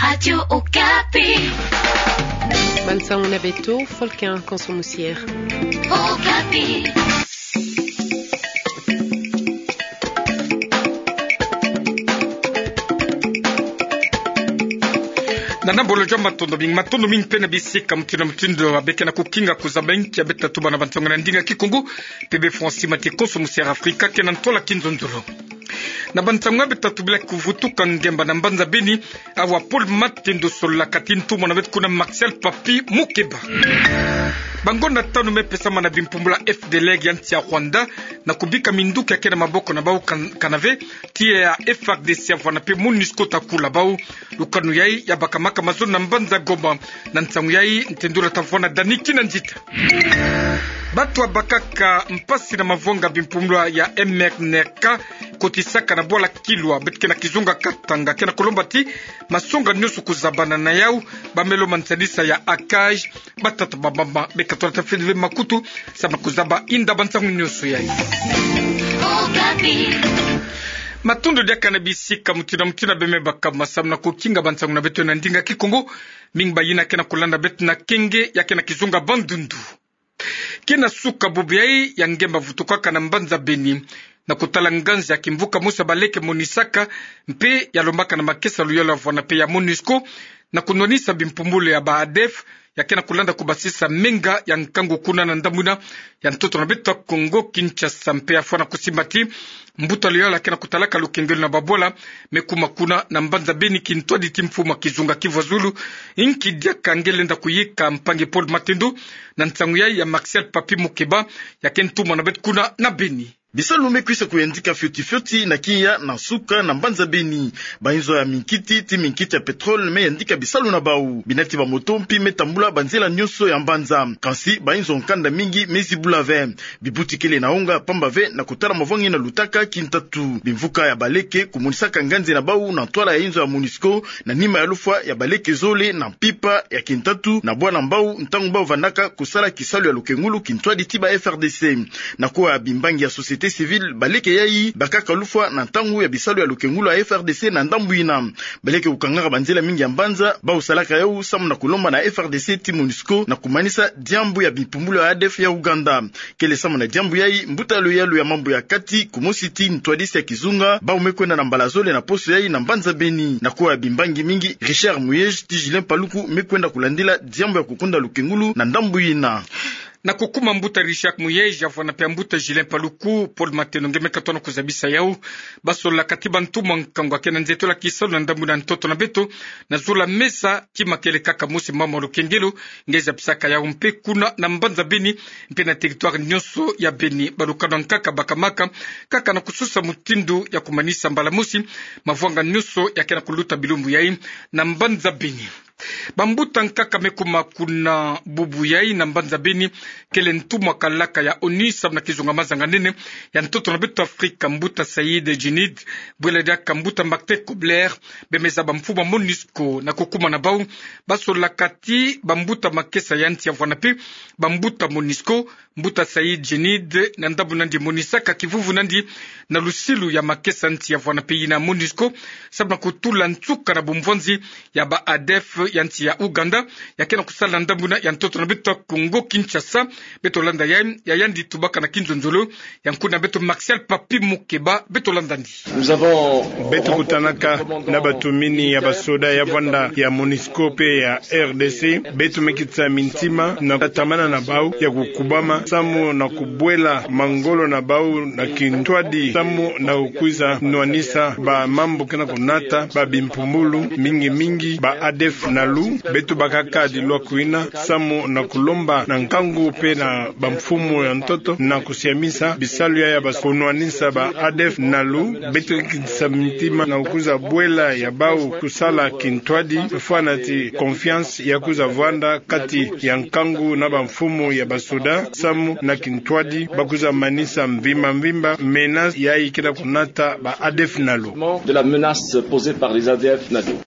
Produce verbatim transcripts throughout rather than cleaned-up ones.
Radio Okapi. Bansango na beto, Folkin Konso Musier. Okapi. Na nambolo jamba matondo mingi, matondo mingi mpe na bisika mutindu na mutindu, abe ke na kukinga kuzaba inki ya beta tuba na bansango na ndinga Kikongo, mpe be François Mathieu Konso Musier Afrika ke na ntwala kinzonzolo. Na bansango ya beta tubila kuvutuka ngemba na mbanza Beni, awa Paul Matendo solola kati ntumwa na beto kuna Martial Papy Mukeba. Bangonda tanu me pesama na bimpumbulu ya F D L R ya nsi ya Rwanda, na kubika minduki ya ke na maboko na bau kan-, kanave, tiya ya F R D C ya vwanda mpe MONUSCO ta kula bau. Lukanu yayi ya bakamaka mazono na mbanza Goma, na nsangu yayi ntendula ta vwanda Dani Kinanzita. Bato ya bakaka mpasi na mavanga bimpumbulu ya M N R K, kotisaka na bwala Kilwa, beto ke na kizunga Katanga, ke na kulomba ti masonga nyonso kuzabana na yau, ba melo mansanisa ya ACAJ, batata ba mama, beka tolata fede ve makutu, samu na kuzaba inda bansangu nyonso yayi. Matondo diaka na bisika mutindu na mutindu abe me baka masamu na kukinga bansangu na beto na ndinga Kikongo, mingi bayina ke na kulanda beto na kenge, ya ke na kizunga Bandundu. Ke na suka bubu yayi ya ngemba vutukaka na mbanza Beni, na kutala nganzi ya kimvuka mosi ya baleke monisaka, mpe ya lombaka na makesa luyolo ya vwanda mpe ya MONUSCO, na kunwanisa bimpumbulu ya ba ADF, ya ke na kulanda kubasisa menga ya nkangu kuna na ndambu yina ya ntoto na beto Kongo Kinshasa, mpe ya fwana kusimba ti mbuta luyolo ya ke na kutalaka lukengelo na babwala me kuma kuna na mbanza Beni kintwadi ti mfumu ya kizunga Kivu ya Zulu, inki diaka nge lenda kuyika mpangi Paul Matendo, na nsangu yayi ya Martial Papy Mukeba, ya ke ntumwa na beto kuna na Beni. Bisalu me kwisa kuyandika fioti fioti na kiya na suka na mbanza Beni. Bayinzo ya minkiti, ti minkiti ya pétrole me yandika bisalu na bau. Binati ba moto mpi me tambula banzela nyonso ya mbanza. Kansi bayinzo nkanda mingi me zibula ve. Bibuti kele na onga pamba ve na kutala mavanga yina lutaka kintatu. Bimvuka ya baleke kumonisaka nganzi na bau na ntwala ya yinzo ya MONUSCO, na nima ya lufwa ya baleke zole na mpimpa ya kintatu na bwala mbau, ntangu bau vandaka kusala kisalu ya lukengulu kintwadi ti ba F R D C. Na kuwa bimbangi ya société civile, baleke yayi bakaka lufwa na ntangu ya bisalu ya lukengulu ya F R D C na ndambu yina. Baleke kukangaka banzela mingi ya mbanza, bau salaka yau samu na kulomba na F R D C ti MONUSCO na kumanisa diambu ya bimpumbulu ya ADF ya Uganda. Kele samu na diambu yayi, mbuta luyolo ya mambu ya kati kumosi ti ntwadisi ya kizunga, bau me kwenda na mbala zole na poso yayi na mbanza Beni. Na kuwa bimbangi mingi, Richard Muyej ti Julien Paluku me kwenda kulandila diambu ya kukunda lukengulu na ndambu yina. Na kukuma mbuta Richard Muyej, ya vwanda mpe ya mbuta Julien Paluku, Paul Matendo nge me katono kuzabisa yau. Basololaka ti bantumwa nkangu ya ke na nzetolo ya kisalu na ndambu yina ntoto na beto, na zola mesa, kima kele kaka mosi, mama lukengelo, nge zabisaka yau mpe kuna na mbanza Beni, mpe na territoire nyonso ya Beni. Balukanu ya nkaka bakamaka kaka na kusosa mutindu ya kumanisa mbala mosi mavanga nyonso ya ke na kuluta bilumbu yayi na mbanza Beni. Bambuta nkaka me kuma kuna bubu yayi na mbanza Beni, kele ntumwa kalaka ya ONU samu na kizunga mazanga nene ya ntoto na beto Afrika, mbuta Saïd Djinnit, bwela diaka mbuta Martin Kobler, be me zaba mfumu ya MONUSCO. Na kukuma na bau, basololaka ti bambuta makesa ya nsi ya vwanda mpe bambuta MONUSCO, mbuta Saïd Djinnit, na ndambu yina ndi, monisaka kivuvu yina ndi na lusilu ya makesa nsi ya vwanda mpe yina MONUSCO, samu na kutula nsuka na bumvwanzi ya ba ADF ya nsi ya Uganda, ya ke na kusala na ndambu yina ya ntoto na beto Kongo Kinshasa. Beto landa ya, ya yandi tubaka na kinzonzolo ya nkuna beto Martial Papy Mukeba, beto landa ndi. Beto kutanaka na batumini ya basoda ya vwanda, ya MONUSCO mpe ya R D C. Beto me kitisa mintima na kutatamana na bau ya kukubama samu na kubwela mangolo na bau na kintwadi samu na kukwiza nwanisa ba mambu ke na kunata ba bimpumbulu, mingi mingi ba ADF-NALU. Beto bakaka dilwa kwina samu na kulomba na nkangu mpe na bamfumu ya ntoto na kusiamisa bisalu ya, ya ba kunwanisa ba ADF-NALU. Beto kitisa mintima na kukwiza bwela ya bau kusala kintwadi, fwana ti confiance ya kwiza vwanda kati ya nkangu na bamfumu ya basoda, samu na kintwadi bakwiza manisa mvimba mvimba menace yayi ke na kunata ba ADF-NALU. De la menace posée par les ADF-NALU.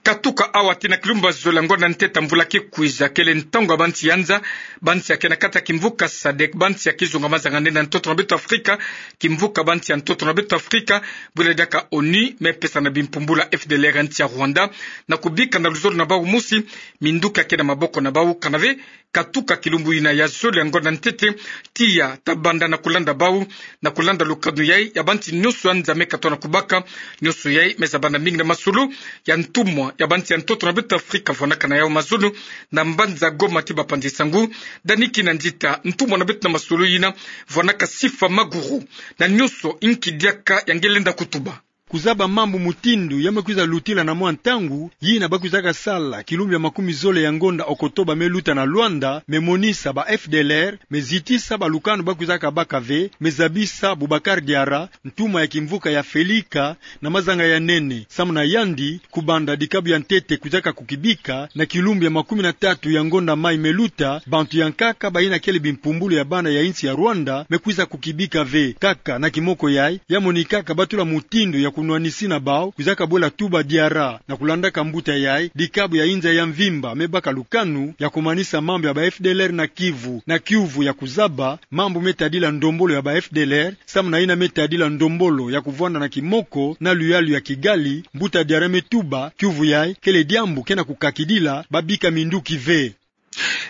Katuka awa tii na kilumbu ya zole ya ngonda ntete ya mvula ki kwiza kele ntangu ya bansi ya nza, bansi ya ke na kati ya kimvuka sadek, bansi ya kizunga mazanga nene ya ntoto na beto Afrika, kimvuka bansi ya ntoto na beto Afrika, bwela diaka onu, me pesa na bimpumbulu ya F D L R ya nsi ya Rwanda, na kubika na luzolo na bau mosi minduki ya ke na maboko na bau, kana ve katuka kilumbu ina ya zole ya ngonda ntete, tiya ta banda na kulanda bau, na kulanda lukanu yai ya bansi nyonso ya nza me katoa na kubaka. Nyonso yai me zabana mingi na masolo ya ntumwa ya bansi ya ntoto na beto Afrika vwanaka na yau mazono na mbanza Goma tii bapanzi nsangu. Dani Kinanzita, ntumwa na beto na masolo ina, vwanaka Sifa Maguru. Na nyonso, inki diaka ya nge lenda kutuba? Kuzaba mambu mutindu ya me kwiza lutila na mwa ntangu, yina ba kwizaka sala kilumbu ya makumi zole ya ngonda Okotoba me luta na Luanda, me monisa ba F D L R, me zitisa balukanu ba kwizaka baka ve, me zabisa Boubacar Diarra, ntumwa ya kimvuka ya Felika, na mazanga ya nene, samu na yandi, kubanda dikabu ya ntete kwizaka kukibika, na kilumbu ya makumi na tatu ya ngonda mai me luta, bantu ya nkaka bayina kele bimpumbulu ya bana ya insi ya Rwanda, me kwiza kukibika ve, kaka na kimoko yai, ya monikaka batula mutindu ya kunwanisi na bau, kwizaka bwela tuba Diarra, na kulandaka mbuta yai, dikabu ya inza ya mvimba, me baka lukanu, ya kumanisa mambu ya ba F D L R na Kivu, na kiuvu ya kuzaba, mambu me tadila ndombolo ya ba F D L R, samu na yina me tadila ndombolo ya kuvwanda na kimoko, na luyalu ya Kigali, mbuta Diarra me tuba, kiuvu yai, kele diambu ke na kukakidila, babika minduki ve.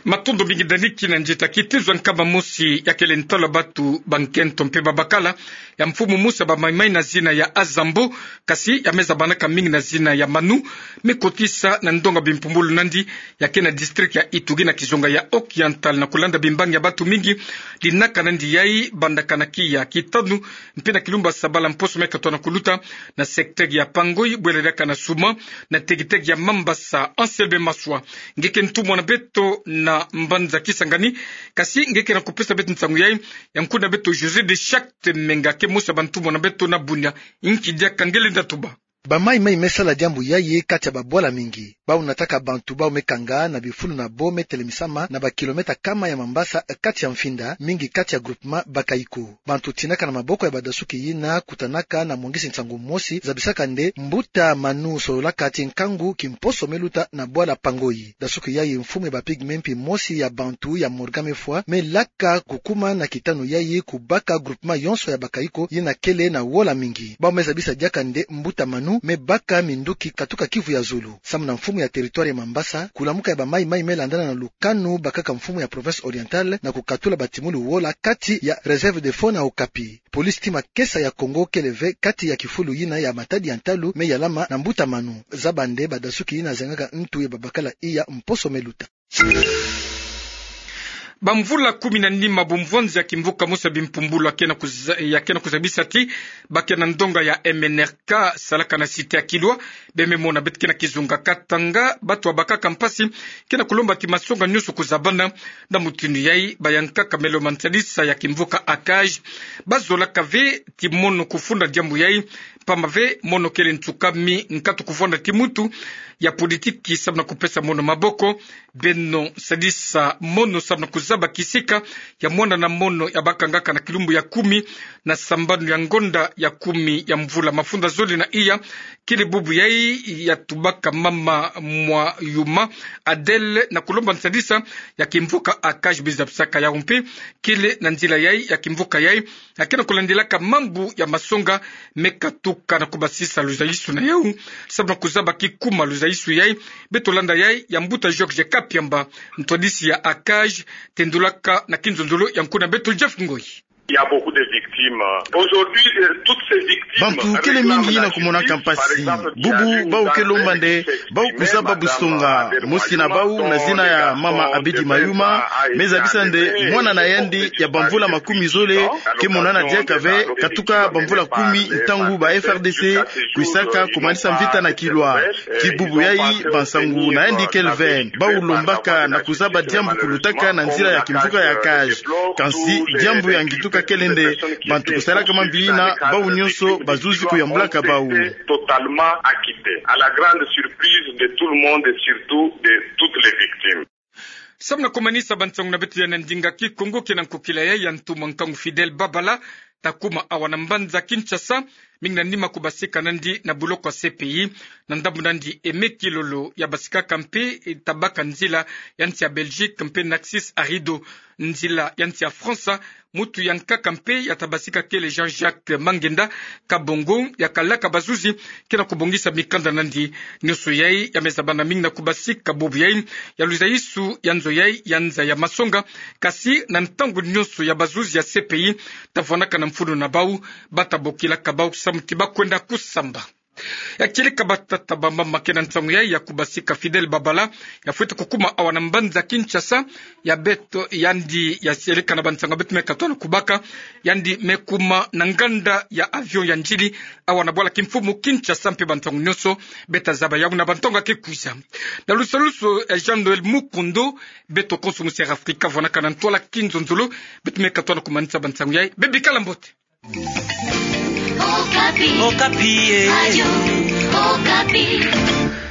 Matondo mingi Dani Kinanzita. Kitezo ya nkama mosi ya kele ntalu ya batu ba nkento mpe babakala ya mfumu mosi ya ba Maï-Maï na zina ya Azambo, kasi ya me zabanaka mingi na zina ya Manu, me kotisa na ndonga bimpumbulu nandi ya ke na district ya Ituri na kizunga ya Occidental, na kulanda bimbangi ya batu mingi, linaka nandi yai bandaka na kiya kitanu mpe na kilumbu ya sabala mposo me katoa na kuluta, na secteur ya Pangoi, bwela diaka na Souma, na tegitegi ya Mambasa. Anselme Maswa, nge ke ntumwa na beto na mbanza Kisangani, kasi nge ke na kupesa beto nsangu yai, ya nkuna beto José de Chacte Menga, ke mosi ya bantumwa na beto na Bunia. Inki diaka nge lenda tuba? Ba Maï-Maï me sala diambu yayi kati ya babwala mingi. Bau nataka bantu bau me kanga na bifulu na bo me telemisama na ba kilomètre kama ya Mambasa, kati ya Mfinda, mingi kati ya groupement Bakaiko. Bantu tinaka na maboko ya badasuki yina kutanaka na mongisi nsangu mosi zabisaka nde mbuta Manu sololaka ti nkangu kimposo me luta na bwala Pangoi. Dasuki yayi mfumu ya ba pygmées mpi mosi ya bantu ya Morgan me fwa, me laka kukuma na kitanu yayi kubaka groupement yonso ya Bakaiko yina kele na wola mingi. Bau me zabisa diaka nde mbuta Manu me baka minduki katuka Kivu ya zulu. Samu na mfumu ya territoire ya Mambasa, kulamuka ya ba Maï-Maï me landana na lukanu bakaka mfumu ya province orientale na kukatula batimulu wola kati ya réserve de Faune Okapi. Police ti makesa ya Congo kele ve kati ya kifulu yina ya matadi ya ntalu me yalama na mbuta Manu. Zaba nde badasuki yina zengaka ntu ya babakala iya mposo me luta. Bamvula kumi na nima bumvwanzi ya kimvuka mosi ya bimpumbulu ya ke na kuza-, ya ke na kuzabisa ti ba ke na ndonga ya M N R K salaka na cité ya Kilwa, bie me mona beto ke na kizunga Katanga, batu babakaka mpasi ke na kulomba ti masonga nyonso kuzabana. Na mutindu yayi, bayankaka meloma nsadisa ya kimvuka ACAJ bazolaka ve ti mono kufunda diambu yayi, mpamba ve mono kele nsuka mi nkatu kuvwanda ti mutu ya politiki samu na kupesa mono maboko. Beno sadisa mono samu na kuzaba kisika ya mwana na mono ya bakangaka na kilumbu ya kumi na sambanu ya ngonda ya kumi ya mvula mafunda zole na iya, kele bubu yayi ya tubaka mama Mwayuma Adèle na kulomba nsadisa ya kimvuka ACAJ. Bizabisaka yau mpe kele na nzila yayi ya kimvuka yayi ya ke na kulandilaka mambu ya masonga me katuka na kubasisa luzaisu na yau. Samu na kuzaba kikuma luzaisu yayi, beto landa yayi ya mbuta Georges Kapiamba, ntwadisi ya ACAJ, tendulaka na kinzonzolo ya nkuna beto Jeff Ngoyi. Il y a beaucoup de victimes. Aujourd'hui, euh, toutes ces victimes... Bantu kele mingi na kumonaka mpasi. Bubu bau ke lomba nde bau kuzaba busonga. Mosi na bau na zina ya mama Abidi Mayuma me zabisa nde mwana na yandi ya bamvula makumi zole ke monana diaka ve katuka bamvula kumi ntangu ba F R D C kwisaka kumanisa mvita na Kilwa. Ti bubu yayi bansangu na yandi kele ve. Bau lombaka na kuzaba diambu kulutaka na nzila ya kimvuka ya ACAJ. Kansi diambu ya ngituka kele nde bantu kusalaka mambi yina, bau nyonso bazuzi kuyambulaka bau. Totalement acquitté, à la grande surprise de tout le monde et surtout de toutes les victimes. Samu na kumanisa bansangu na beto ya na ndinga Kikongo, ke na nkokila yayi ya ntumwa nkangu Fidèle Babala, ta kuma awa na mbanza Kinshasa, mingi na nima kubasika nandi na buloko ya C P I, na ndambu nandi Aimé Kilolo ya basikaka mpe, eh, tabaka nzila ya nsi ya Belgique, mpe Narcisse Arido, nzila ya nsi ya France, mutu ya nkaka mpe ya tabasika kele Jean-Jacques Mangenda Kabongo, ya kalaka bazuzi, ke na kubongisa mikanda nandi. Nionso yai ya me zabana mingi na kubasika bubu yai, ya lwiza isu ya nzo yai ya nza ya masonga, kasi na ntangu nionso ya bazuzi ya C P I ta vwanaka na mfunu na bau, ba ta bokilaka bau samu ti ba kwenda kusamba. Ya kieleka batata ba mama ke na nsangu yai ya kubasika Fidèle Babala, ya fwete kukuma awa na mbanza Kinshasa, ya beto yandi ya sieleka na bansangu ya beto me katoa na kubaka, yandi me kuma na nganda ya avion ya ndili, awa na bwala kimfumu Kinshasa mpe bansangu nionso, beta zaba yau na bantonga ke kwiza. Na lusalusu, eh, Jean-Noël Mukundu, beto konso musi Air Africa vwanaka na ntwala kinzonzolo, beto me katoa na kumanisa bansangu yai, bê bikala mbote. Okapi. Okapi, eh. Radio Okapi.